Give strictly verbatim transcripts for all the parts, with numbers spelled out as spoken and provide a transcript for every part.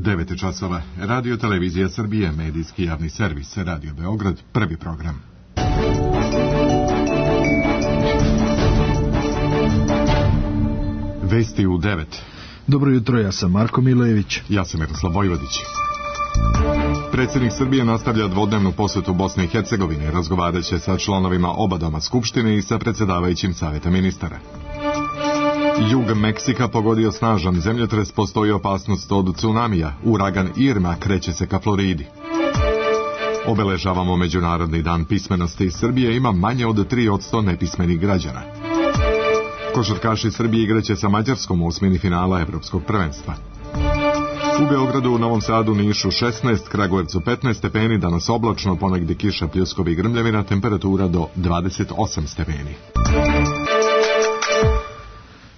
devet časova. Radio Televizija Srbije, medijski javni servis, Radio Beograd, prvi program. Vesti u devet. Dobro jutro, ja sam Marko Milojević. Ja sam Miroslav Vojvodić. Predsjednik Srbije nastavlja dvodnevnu posjetu Bosne i Hercegovine, razgovarat će sa članovima oba doma Skupštine i sa predsjedavajućim Saveta ministara. Jug Meksika pogodio snažan zemljotres, postoji opasnost od tsunamija. Uragan Irma kreće se ka Floridi. Obeležavamo Međunarodni dan pismenosti. Srbije ima manje od tri posto nepismenih građana. Košarkaši Srbije igraće sa Mađarskom u osmini finala Evropskog prvenstva. U Beogradu, u Novom Sadu, Nišu šesnaest, Kragujevcu petnaest stepeni, danas oblačno, ponegdje kiša, pljuskovi i grmljavina, temperatura do dvadeset osam stepeni.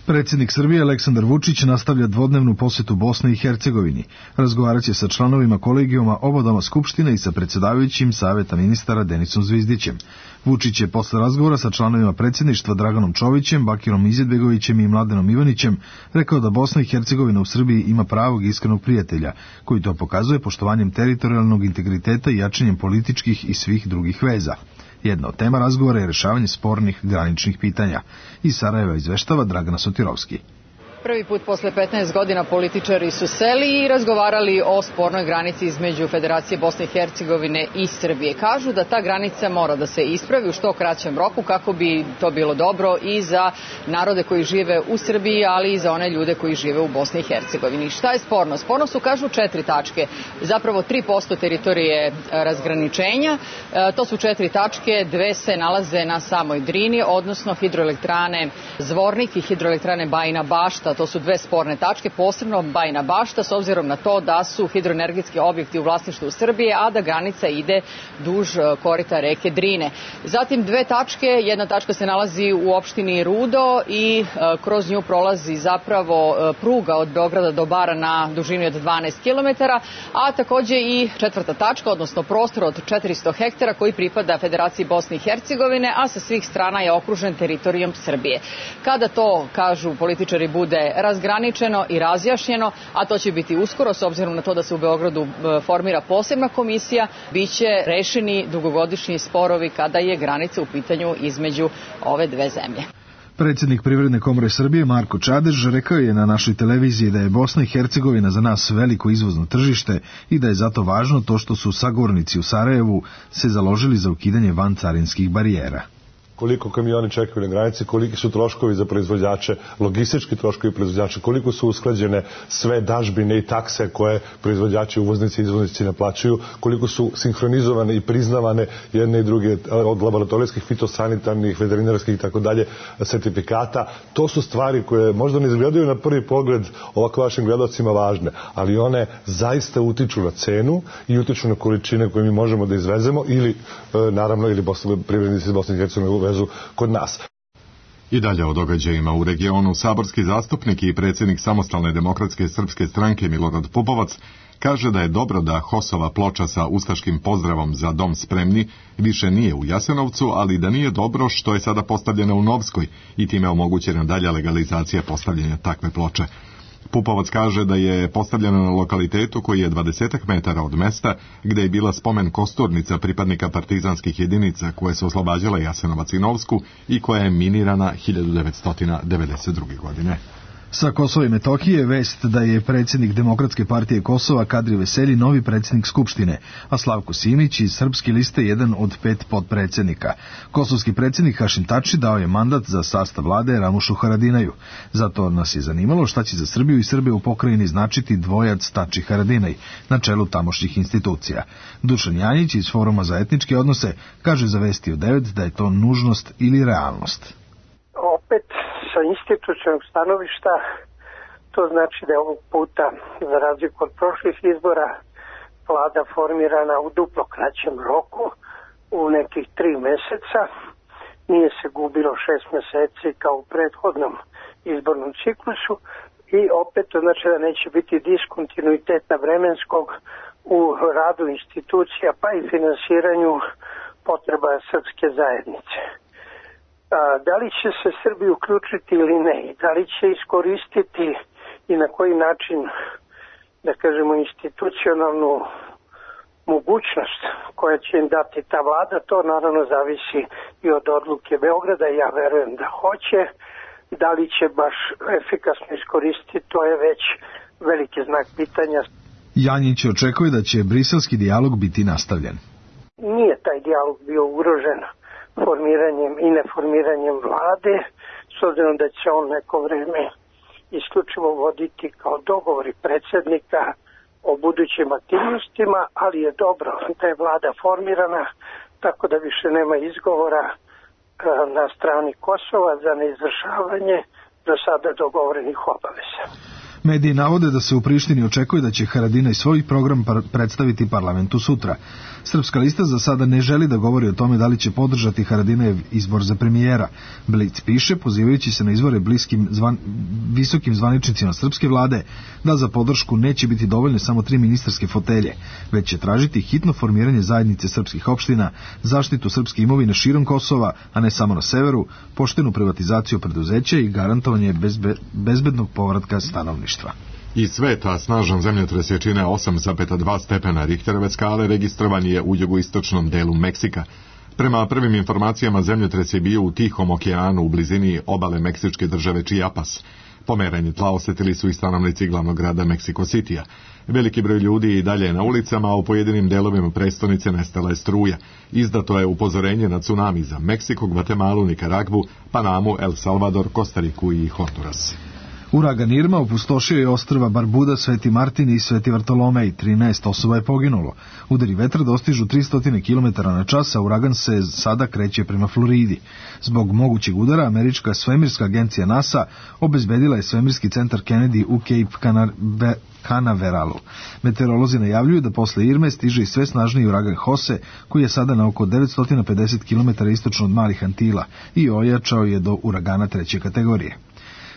Predsjednik Srbije Aleksandar Vučić nastavlja dvodnevnu posjetu Bosni i Hercegovini. Razgovarat će sa članovima kolegijuma oba doma Skupštine i sa predsjedavajućim Saveta ministara Denisom Zvizdićem. Vučić je posle razgovora sa članovima predsjedništva Draganom Čovićem, Bakirom Izetbegovićem i Mladenom Ivanićem rekao da Bosna i Hercegovina u Srbiji ima pravog i iskrenog prijatelja, koji to pokazuje poštovanjem teritorijalnog integriteta i jačanjem političkih i svih drugih veza. Jedna od tema razgovora je rješavanje spornih graničnih pitanja. Iz Sarajeva izveštava Dragana Sotirovski. Prvi put posle petnaest godina političari su seli i razgovarali o spornoj granici između Federacije Bosne i Hercegovine i Srbije. Kažu da ta granica mora da se ispravi u što kraćem roku kako bi to bilo dobro i za narode koji žive u Srbiji, ali i za one ljude koji žive u Bosni i Hercegovini. Šta je sporno? Sporno su, kažu, četiri tačke. Zapravo tri posto teritorije razgraničenja. E, to su četiri tačke, dve se nalaze na samoj Drini, odnosno hidroelektrane Zvornik i hidroelektrane Bajina Bašta. To su dve sporne tačke, posebno Bajina Bašta, s obzirom na to da su hidroenergetski objekti u vlasništvu Srbije, a da granica ide duž korita reke Drine. Zatim dve tačke, jedna tačka se nalazi u opštini Rudo i e, kroz nju prolazi zapravo e, pruga od Beograda do Bara na dužini od dvanaest kilometara, a takođe i četvrta tačka, odnosno prostor od četiristo hektara koji pripada Federaciji Bosne i Hercegovine, a sa svih strana je okružen teritorijom Srbije. Kada to, kažu političari, bude razgraničeno i razjašnjeno, a to će biti uskoro, s obzirom na to da se u Beogradu formira posebna komisija, biće rešeni dugogodišnji sporovi kada je granica u pitanju između ove dve zemlje. Predsjednik Privredne komore Srbije Marko Čadež rekao je na našoj televiziji da je Bosna i Hercegovina za nas veliko izvozno tržište i da je zato važno to što su sagovornici u Sarajevu se založili za ukidanje vancarinskih barijera. Koliko kamioni čekaju na granici, koliki su troškovi za proizvođače, logistički troškovi proizvođača, koliko su usklađene sve dažbine i takse koje proizvođači, uvoznici i izvoznici naplaćuju, koliko su sinhronizovane i priznavane jedne i druge od laboratorijskih, fitosanitarnih, veterinarskih i tako dalje sertifikata. To su stvari koje možda ne izgledaju na prvi pogled ovako vašim gledalcima važne, ali one zaista utiču na cenu i utiču na količine koje mi možemo da izvezemo ili, naravno, ili privrednici iz Bosne i Hercegovine kod nas. I dalje o događajima u regionu. Saborski zastupnik i predsjednik Samostalne demokratske srpske stranke Milorad Pupovac kaže da je dobro da HOS-ova ploča sa ustaškim pozdravom za dom spremni više nije u Jasenovcu, ali da nije dobro što je sada postavljena u Novskoj i time omogućena dalja legalizacija postavljanja takve ploče. Pupovac kaže da je postavljena na lokalitetu koji je dvadesetak metara od mesta gdje je bila spomen kosturnica pripadnika partizanskih jedinica koje su oslobađale Jasenovac i Novsku i koja je minirana hiljadu devetsto devedeset druge. godine. Sa Kosova i Metohije vest da je predsjednik Demokratske partije Kosova Kadri Veselji novi predsjednik Skupštine, a Slavko Simić iz Srpske liste jedan od pet potpredsjednika. Kosovski predsjednik Hašim Tači dao je mandat za sastav vlade Ramušu Haradinaju. Zato nas je zanimalo šta će za Srbiju i Srbe u pokrajini značiti dvojac Tači Haradinaj na čelu tamošnjih institucija. Dušan Janjić iz Foruma za etničke odnose kaže za Vesti u devet da je to nužnost ili realnost. Opet sa institucionalnog stanovišta to znači da je ovog puta, za razliku od prošlih izbora, vlada formirana u duplo kraćem roku, u nekih tri meseca. Nije se gubilo šest meseci kao u prethodnom izbornom ciklusu i opet to znači da neće biti diskontinuiteta vremenskog u radu institucija pa i finansiranju potreba srpske zajednice. Da li će se Srbi uključiti ili ne, da li će iskoristiti i na koji način da kažemo, institucionalnu mogućnost koja će im dati ta vlada. To naravno zavisi i od odluke Beograda. Ja verujem da hoće. Da li će baš efikasno iskoristiti, to je već veliki znak pitanja. Janjić očekuje da će briselski dijalog biti nastavljen. Nije taj dijalog bio ugrožen formiranjem i neformiranjem vlade, s obzirom da će on neko vreme isključivo voditi kao dogovori predsjednika o budućim aktivnostima, ali je dobro da je vlada formirana, tako da više nema izgovora na strani Kosova za neizvršavanje do sada dogovorenih obaveza. Mediji navode da se u Prištini očekuje da će Haradinaj svoj program par- predstaviti parlamentu sutra. Srpska lista za sada ne želi da govori o tome da li će podržati Haradinajev izbor za premijera. Blic piše, pozivajući se na izvore bliskim zvan, visokim zvaničnicima srpske vlade, da za podršku neće biti dovoljne samo tri ministarske fotelje, već će tražiti hitno formiranje zajednice srpskih opština, zaštitu srpske imovine širom Kosova, a ne samo na severu, poštenu privatizaciju preduzeća i garantovanje bezbe, bezbednog povratka stanovništva. Iz sveta snažan zemljotres jačine osam zarez dva stepena Richterove skale registrovan je u jugoistočnom delu Meksika. Prema prvim informacijama zemljotres je bio u Tihom okeanu u blizini obale meksičke države Chiapas. Pomeranje tla osetili su i stanovnici glavnog grada Mexico Citya. Veliki broj ljudi i dalje je na ulicama, a u pojedinim delovima prestonice nestala je struja. Izdato je upozorenje na tsunami za Meksiko, Gvatemalu, Nikaragvu, Panamu, El Salvador, Kostariku i Honduras. Uragan Irma opustošio je ostrva Barbuda, Sveti Martin i Sveti Vartolomej, trinaest osoba je poginulo. Udari vetra dostižu tristo kilometara na čas, a uragan se sada kreće prema Floridi. Zbog mogućeg udara, američka svemirska agencija NASA obezbedila je svemirski centar Kennedy u Cape Canaveralu. Meteorolozi najavljuju da posle Irme stiže i sve snažniji uragan Jose, koji je sada na oko devetsto pedeset kilometara istočno od Malih Antila i ojačao je do uragana treće kategorije.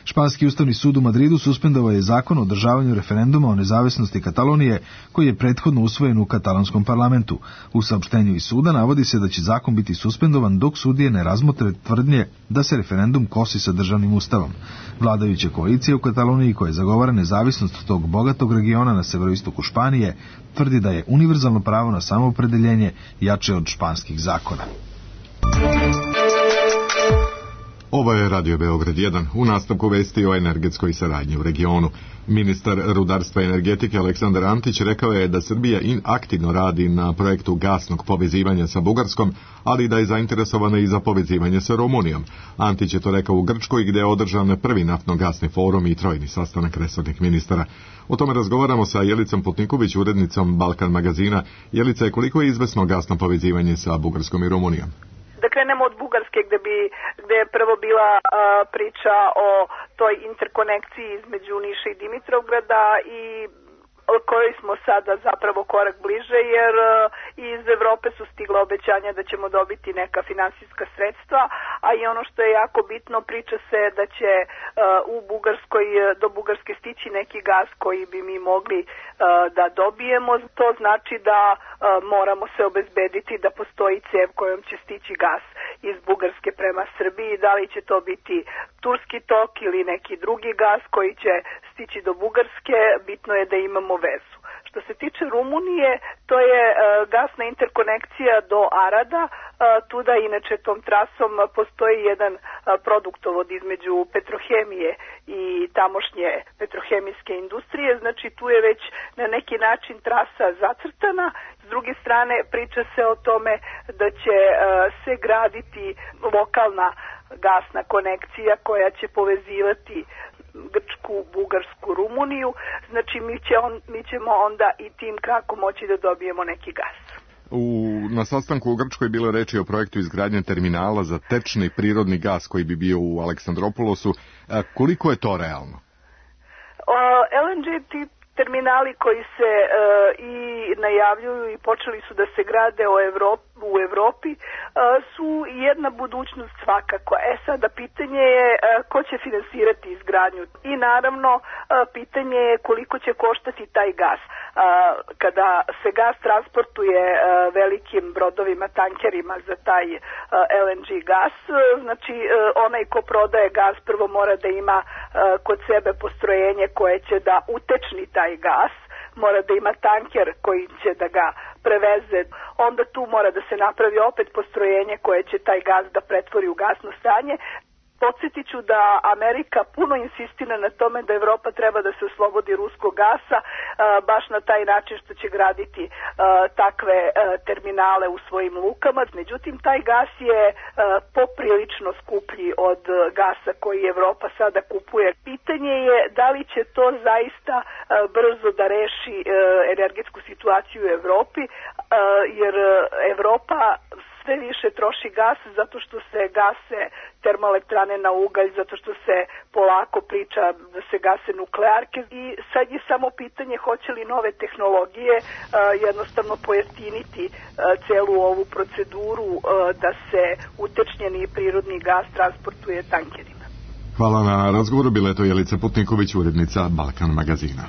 Španski ustavni sud u Madridu suspendovao je zakon o održavanju referenduma o nezavisnosti Katalonije, koji je prethodno usvojen u katalonskom parlamentu. U saopštenju iz suda navodi se da će zakon biti suspendovan dok sudije ne razmotre tvrdnje da se referendum kosi sa državnim ustavom. Vladajuća koalicija u Kataloniji, koja zagovara nezavisnost tog bogatog regiona na severoistoku Španije, tvrdi da je univerzalno pravo na samoopredeljenje jače od španskih zakona. Ovo je Radio Beograd jedan. U nastavku vesti o energetskoj saradnji u regionu. Ministar rudarstva i energetike Aleksandar Antić rekao je da Srbija aktivno radi na projektu gasnog povezivanja sa Bugarskom, ali da je zainteresovana i za povezivanje sa Rumunijom. Antić je to rekao u Grčkoj, gdje je održan prvi naftno-gasni forum i trojni sastanak resornih ministara. O tome razgovaramo sa Jelicom Putniković, urednicom Balkan magazina. Jelica, koliko je izvesno gasno povezivanje sa Bugarskom i Rumunijom? Da krenemo od Bugarske, gde bi gde je prvo bila uh, priča o toj interkonekciji između Niša i Dimitrovgrada i koji smo sada zapravo korak bliže, jer uh, iz Evrope su stigla obećanja da ćemo dobiti neka finansijska sredstva, a i ono što je jako bitno, priča se da će uh, u Bugarskoj, do Bugarske stići neki gas koji bi mi mogli uh, da dobijemo. To znači da uh, moramo se obezbediti da postoji cev kojom će stići gas iz Bugarske prema Srbiji. Da li će to biti Turski tok ili neki drugi gas koji će stići do Bugarske, bitno je da imamo vezu. Što se tiče Rumunije, to je uh, gasna interkonekcija do Arada. Uh, tuda inače tom trasom postoji jedan uh, produktovod između Petrohemije i tamošnje petrohemijske industrije. Znači tu je već na neki način trasa zacrtana. S druge strane priča se o tome da će uh, se graditi lokalna gasna konekcija koja će povezivati Grčku, Bugarsku, Rumuniju. Znači mi, će on, mi ćemo onda i tim krakom moći da dobijemo neki gas. U, na sastanku u Grčkoj bilo je reči o projektu izgradnje terminala za tečni prirodni gas koji bi bio u Aleksandropolosu. A koliko je to realno? O, L N G tip terminali koji se e, i najavljuju i počeli su da se grade u Evropi, u Evropi e, su jedna budućnost svakako. E sada pitanje je e, ko će finansirati izgradnju i naravno e, pitanje je koliko će koštati taj gas. E, kada se gas transportuje e, velikim brodovima, tankerima za taj e, L N G gas, e, znači e, onaj ko prodaje gas prvo mora da ima e, kod sebe postrojenje koje će da utečni taj gas mora da ima tanker koji će da ga preveze, onda tu mora da se napravi opet postrojenje koje će taj gas da pretvori u gasno stanje. Podsjetit ću da Amerika puno insistira na tome da Evropa treba da se oslobodi ruskog gasa, baš na taj način što će graditi takve terminale u svojim lukama. Međutim, taj gas je poprilično skuplji od gasa koji Evropa sada kupuje. Pitanje je da li će to zaista brzo da reši energetsku situaciju u Evropi, jer Evropa sve više troši gas zato što se gase termoelektrane na ugalj, zato što se polako priča da se gase nuklearke i sad je samo pitanje hoće li nove tehnologije uh, jednostavno pojeftiniti uh, celu ovu proceduru uh, da se utečnjeni prirodni gas transportuje tankerima. Hvala na razgovoru, bila je to Jelica Putniković, urednica Balkan magazina.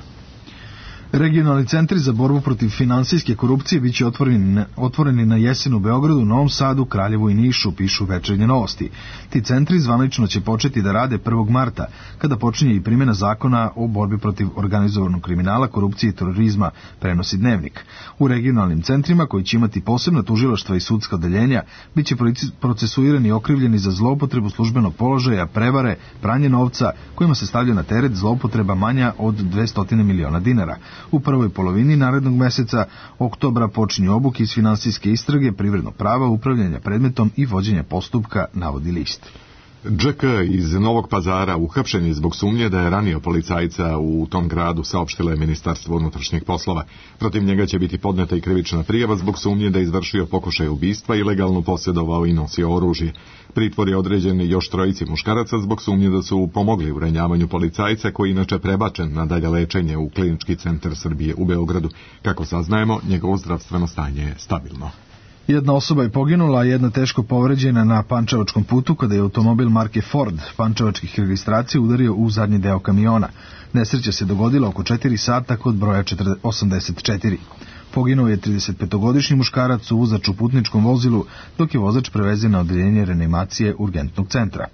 Regionalni centri za borbu protiv finansijske korupcije biće otvoreni, otvoreni na jesen u Beogradu, Novom Sadu, Kraljevu i Nišu, pišu Večernje novosti. Ti centri zvanično će početi da rade prvog marta, kada počinje i primjena zakona o borbi protiv organizovanog kriminala, korupcije i terorizma, prenosi Dnevnik. U regionalnim centrima, koji će imati posebna tužilaštva i sudska odeljenja, biće procesuirani i okrivljeni za zloupotrebu službenog položaja, prevare, pranje novca, kojima se stavlja na teret zloupotreba manja od dvesta miliona dinara. U prvoj polovini narednog meseca, oktobra, počinju obuke iz finansijske istrage, privrednog prava, upravljanja predmetom i vođenja postupka, navodi list. Dž K iz Novog Pazara uhapšen je zbog sumnje da je ranio policajca u tom gradu, saopštilo je Ministarstvo unutrašnjih poslova. Protiv njega će biti podneta i krivična prijava zbog sumnje da je izvršio pokušaj ubistva, ilegalno posjedovao i nosio oružje. Pritvor je određen još trojici muškaraca zbog sumnje da su pomogli u ranjavanju policajca, koji inače prebačen na dalje lečenje u Klinički centar Srbije u Beogradu. Kako saznajemo, njegovo zdravstveno stanje je stabilno. Jedna osoba je poginula, a jedna teško povređena na Pančevačkom putu kada je automobil marke Ford pančevačkih registracija udario u zadnji deo kamiona. Nesreća se dogodila oko četiri sata kod broja osamdeset četiri. Poginuo je tridesetpetogodišnji muškarac u vozač u putničkom vozilu, dok je vozač prevezen na odeljenje reanimacije urgentnog centra.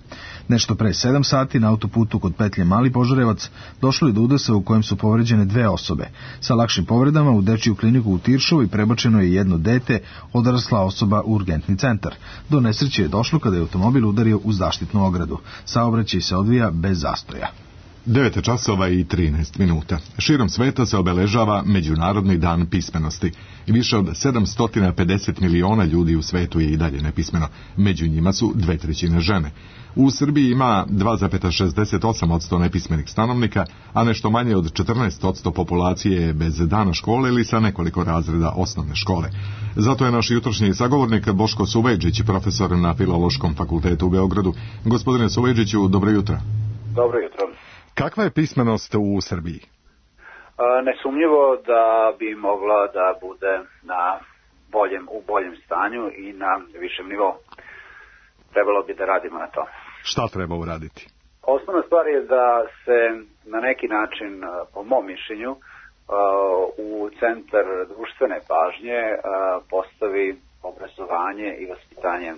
Nešto pre sedam sati na autoputu kod petlje Mali Požarevac došlo je do udesa u kojem su povređene dve osobe. Sa lakšim povredama u dečiju kliniku u Tiršovoj prebačeno je jedno dete, odrasla osoba u urgentni centar. Do nesreće je došlo kada je automobil udario u zaštitnu ogradu. Saobraćaj se odvija bez zastoja. devet časova i trinaest minuta. Širom sveta se obeležava Međunarodni dan pismenosti. Više od sedamsto pedeset miliona ljudi u svetu je i dalje nepismeno. Među njima su dve trećine žene. U Srbiji ima dva zarez šezdeset osam posto nepismenih stanovnika, a nešto manje od četrnaest posto populacije je bez dana škole ili sa nekoliko razreda osnovne škole. Zato je naš jutrošnji sagovornik Boško Suvejdžić, profesor na Filološkom fakultetu u Beogradu. Gospodine Suvejdžiću, dobro jutro. Dobro jutro. Kakva je pismenost u Srbiji? Nesumnjivo da bi mogla da bude na boljem, u boljem stanju i na višem nivou. Trebalo bi da radimo na to. Šta treba uraditi? Osnovna stvar je da se na neki način, po mom mišljenju, u centar društvene pažnje postavi obrazovanje i vaspitanje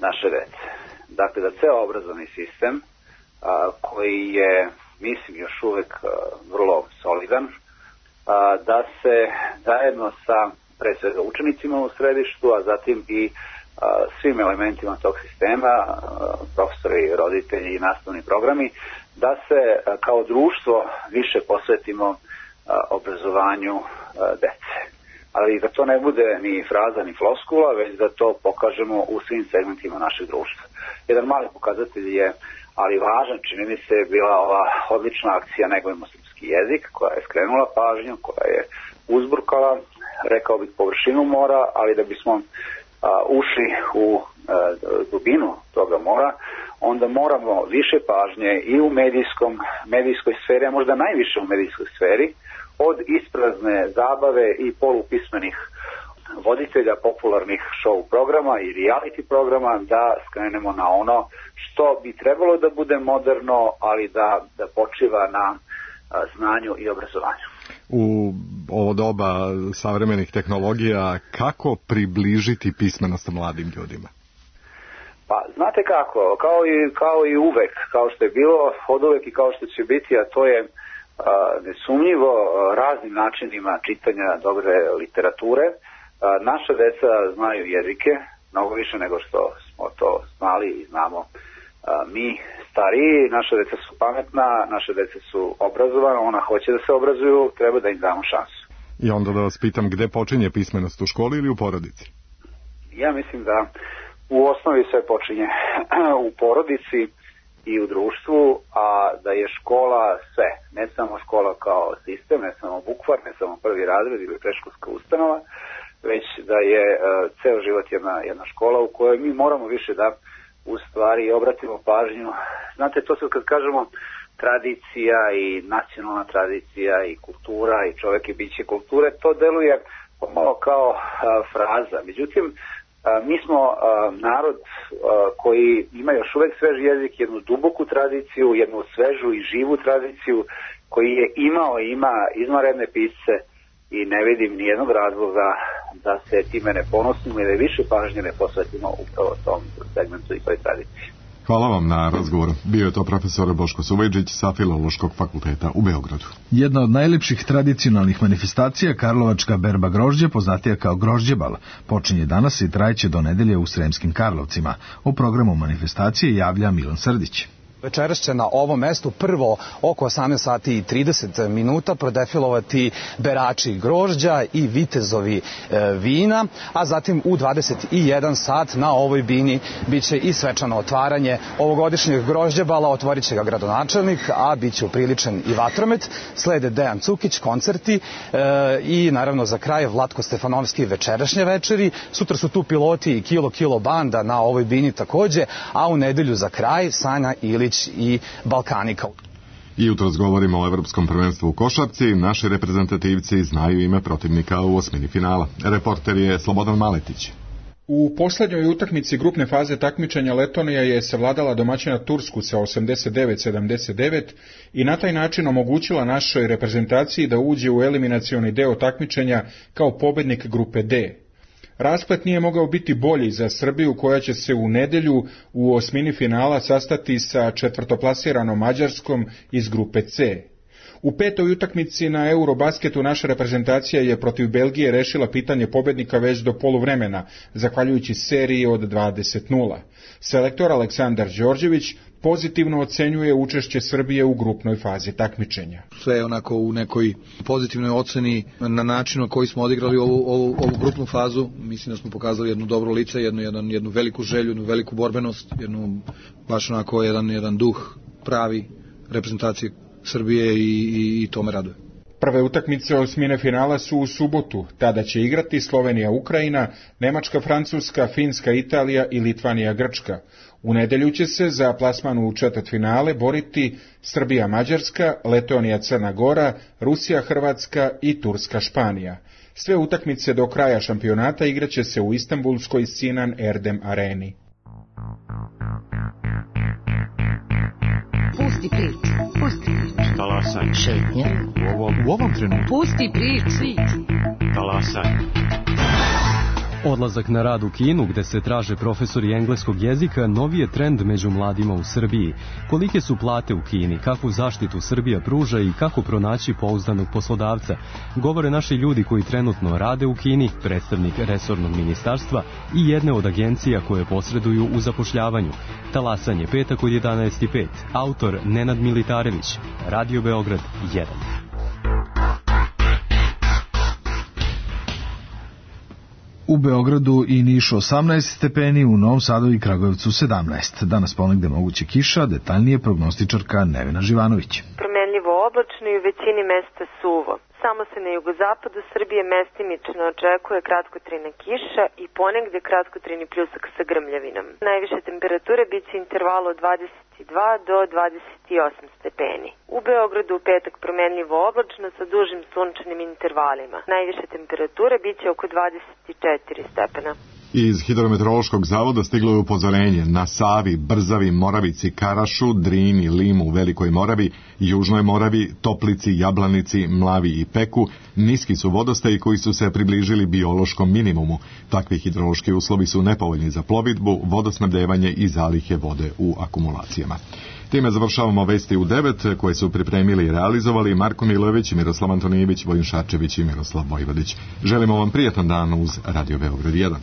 naše dece. Dakle, da ceo obrazovni sistem koji je, mislim, još uvek vrlo solidan, da se zajedno sa, pre svega, učenicima u središtu, a zatim i svim elementima tog sistema, profesori, roditelji i nastavni programi, da se kao društvo više posvetimo obrazovanju dece. Ali da to ne bude ni fraza ni floskula, već da to pokažemo u svim segmentima našeg društva. Jedan mali pokazatelj je, ali važan, čini mi se, bila ova odlična akcija Negujmo srpski jezik, koja je skrenula pažnju, koja je uzburkala, rekao bih, površinu mora, ali da bismo a, ušli u a, dubinu toga mora, onda moramo više pažnje i u medijskom, medijskoj sferi, a možda najviše u medijskoj sferi, od isprazne zabave i polupismenih voditelja popularnih show programa i reality programa, da skrenemo na ono što bi trebalo da bude moderno, ali da, da počiva na a, znanju i obrazovanju. U ovo doba savremenih tehnologija, kako približiti pismenost mladim ljudima? Pa, znate kako, kao i, kao i uvek, kao što je bilo od uvek i kao što će biti, a to je nesumnjivo raznim načinima čitanja dobre literature. Naša deca znaju jezike, mnogo više nego što smo to znali i znamo mi stariji. Naša deca su pametna, naše deca su obrazovana, ona hoće da se obrazuju, treba da im damo šansu. I onda da vas pitam, gde počinje pismenost, u školi ili u porodici? Ja mislim da u osnovi sve počinje u porodici i u društvu, a da je škola sve, ne samo škola kao sistem, ne samo bukvar, ne samo prvi razred ili predškolska ustanova, već da je uh, ceo život jedna, jedna škola u kojoj mi moramo više da u stvari obratimo pažnju. Znate, to se kad kažemo tradicija i nacionalna tradicija i kultura i čovek i biće kulture, to deluje pomalo kao uh, fraza. Međutim, mi smo uh, narod uh, koji ima još uvek svež jezik, jednu duboku tradiciju, jednu svežu i živu tradiciju, koji je imao i ima izvanredne pisce i ne vidim nijednog razloga da se time ne ponosimo i da više pažnje ne posvetimo upravo tom segmentu i toj tradiciji. Hvala vam na razgovoru. Bio je to profesor Boško Suvejđić sa Filološkog fakulteta u Beogradu. Jedna od najlepših tradicionalnih manifestacija, karlovačka berba grožđe, poznatija kao grožđebal, počinje danas i trajeće do nedelje u Sremskim Karlovcima. O programu manifestacije javlja Milan Srdić. Večeras će na ovom mestu prvo oko osamnaest sati i trideset minuta prodefilovati berači grožđa i vitezovi e, vina, a zatim u dvadeset jedan sat na ovoj bini biće i svečano otvaranje ovogodišnjeg grožđebala, otvorit će ga gradonačelnik, a biće upriličen i vatromet. Slede Dejan Cukić, koncerti e, i naravno za kraj Vlatko Stefanovski večerašnje večeri. Sutra su tu piloti i Kilo Kilo banda na ovoj bini takođe, a u nedelju za kraj Sanja Ilić i Balkanika. I jutros govorimo o Evropskom prvenstvu u košarci. Naši reprezentativci znaju ime protivnika u osmini finala. Reporter je Slobodan Maletić. U poslednjoj utakmici grupne faze takmičenja Letonija je savladala domaćina Tursku sa osamdeset devet sedamdeset devet i na taj način omogućila našoj reprezentaciji da uđe u eliminacioni deo takmičenja kao pobednik grupe D. Rasplet nije mogao biti bolji za Srbiju, koja će se u nedelju u osmini finala sastati sa četvrtoplasiranom Mađarskom iz grupe C. U petoj utakmici na Eurobasketu naša reprezentacija je protiv Belgije rešila pitanje pobednika već do poluvremena, zahvaljujući seriji od dvadeset nula. Selektor Aleksandar Đorđević pozitivno ocenjuje učešće Srbije u grupnoj fazi takmičenja. Sve je onako u nekoj pozitivnoj oceni na način na koji smo odigrali ovu, ovu, ovu grupnu fazu. Mislim da smo pokazali jednu dobro lice, jednu, jednu, jednu veliku želju, jednu veliku borbenost, jednu baš onako jedan, jedan duh pravi reprezentacije Srbije i, i, i to me raduje. Prve utakmice osmine finala su u subotu. Tada će igrati Slovenija Ukrajina, Nemačka Francuska, Finska Italija i Litvanija Grčka. U nedelju će se za plasman u četvrtfinale boriti Srbija Mađarska, Letonija Crna Gora, Rusija Hrvatska i Turska Španija. Sve utakmice do kraja šampionata igraće se u Istanbulskoj Sinan Erdem areni. Pusti priču, pusti priču. Talasaj. Šetnja. U ovom, u ovom trenutku. Pusti priču. Talasaj. Odlazak na rad u Kinu, gde se traže profesori engleskog jezika, novi je trend među mladima u Srbiji. Kolike su plate u Kini, kakvu zaštitu Srbija pruža i kako pronaći pouzdanog poslodavca, govore naši ljudi koji trenutno rade u Kini, predstavnik resornog ministarstva i jedne od agencija koje posreduju u zapošljavanju. Talasanje, petak od jedanaest i pet. Autor Nenad Militarević. Radio Beograd jedan. U Beogradu i Nišu osamnaest stepeni, u Novom Sadu i Kragujevcu sedamnaest. Danas ponegde moguće kiša, detaljnije prognostičarka Nevena Živanović. Promenljivo oblačno i u većini mesta suvo. Samo se na jugozapadu Srbije mestimično očekuje kratkotrajna kiša i ponegde kratkotrajni pljusak sa grmljavinom. Najviše temperature biće intervalu od dvadeset dva do dvadeset osam stepeni. U Beogradu u petak promenljivo oblačno sa dužim sunčanim intervalima. Najviše temperature biće oko dvadeset četiri stepena. Iz Hidrometeorološkog zavoda stiglo je upozorenje na Savi, Brzavi, Moravici, Karašu, Drini, Limu, Velikoj Moravi, Južnoj Moravi, Toplici, Jablanici, Mlavi i Peku. Niski su vodostaji koji su se približili biološkom minimumu. Takvi hidrološki uslovi su nepovoljni za plovidbu, vodosnabdevanje i zalihe vode u akumulacijama. Time završavamo vesti u devet koje su pripremili i realizovali Marko Milojević, Miroslav Antonijević, Vojin Šarčević i Miroslav Vojvodić. Želimo vam prijatan dan uz Radio Beograd jedan.